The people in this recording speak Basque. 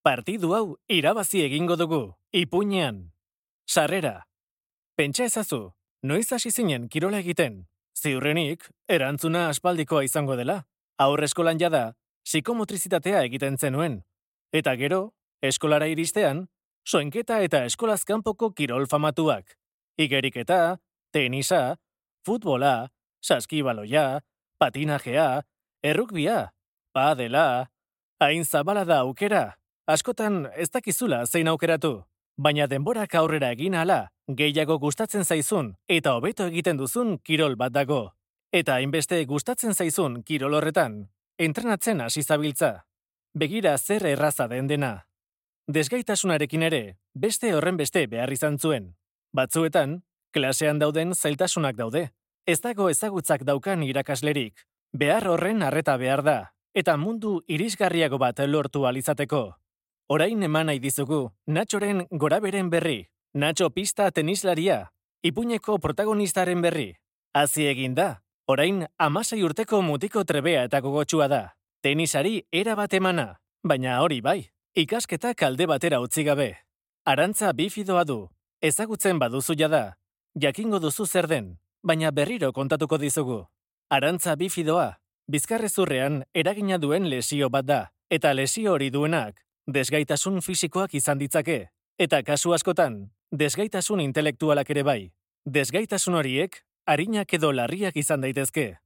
Partidu hau irabazi egingo dugu, ipuinean. Sarrera. Pentsa ezazu, noiz hasi zinen kirola egiten? Ziurrenik, erantzuna aspaldikoa izango dela. Aurre eskolan jada, psikomotrizitatea egiten zenuen. Eta gero, eskolara iristean, soinketa eta eskolaz kanpoko kirol famatuak. Igeriketa, tenisa, futbola, saskibaloia, patinajea, errukbia, padela, hain zabala da aukera. Askotan ez dakizula zein aukeratu, baina denborak aurrera egin ahala, gehiago gustatzen zaizun eta hobeto egiten duzun kirol bat dago. Eta hainbeste gustatzen zaizun kirol horretan, entrenatzen hasi zabiltza. Begira zer erraza den dena. Desgaitasunarekin ere, beste horrenbeste behar izan zuen. Batzuetan, klasean dauden zailtasunak daude. Ez dago ezagutzak daukan irakaslerik. Behar horren arreta behar da, eta mundu irisgarriago bat lortu alizateko. Orain eman nahi dizugu, Natxoren goraberen berri. Natxo pista tenislaria, ipuineko protagonistaren berri. Hazi egin da, orain 16 urteko mutiko trebea eta gogotsua da. Tenisari era bat emana, baina hori bai, ikasketak alde batera utzi gabe. Arantza bifidoa du, ezagutzen baduzu jada, jakingo duzu zer den, baina berriro kontatuko dizugu. Arantza bifidoa, bizkarrezurrean eragina duen lesio bat da, eta lesio hori duenak, desgaitasun fisikoak izan ditzake, eta kasu askotan, desgaitasun intelektualak ere bai. Desgaitasun horiek, arinak edo larriak izan daitezke.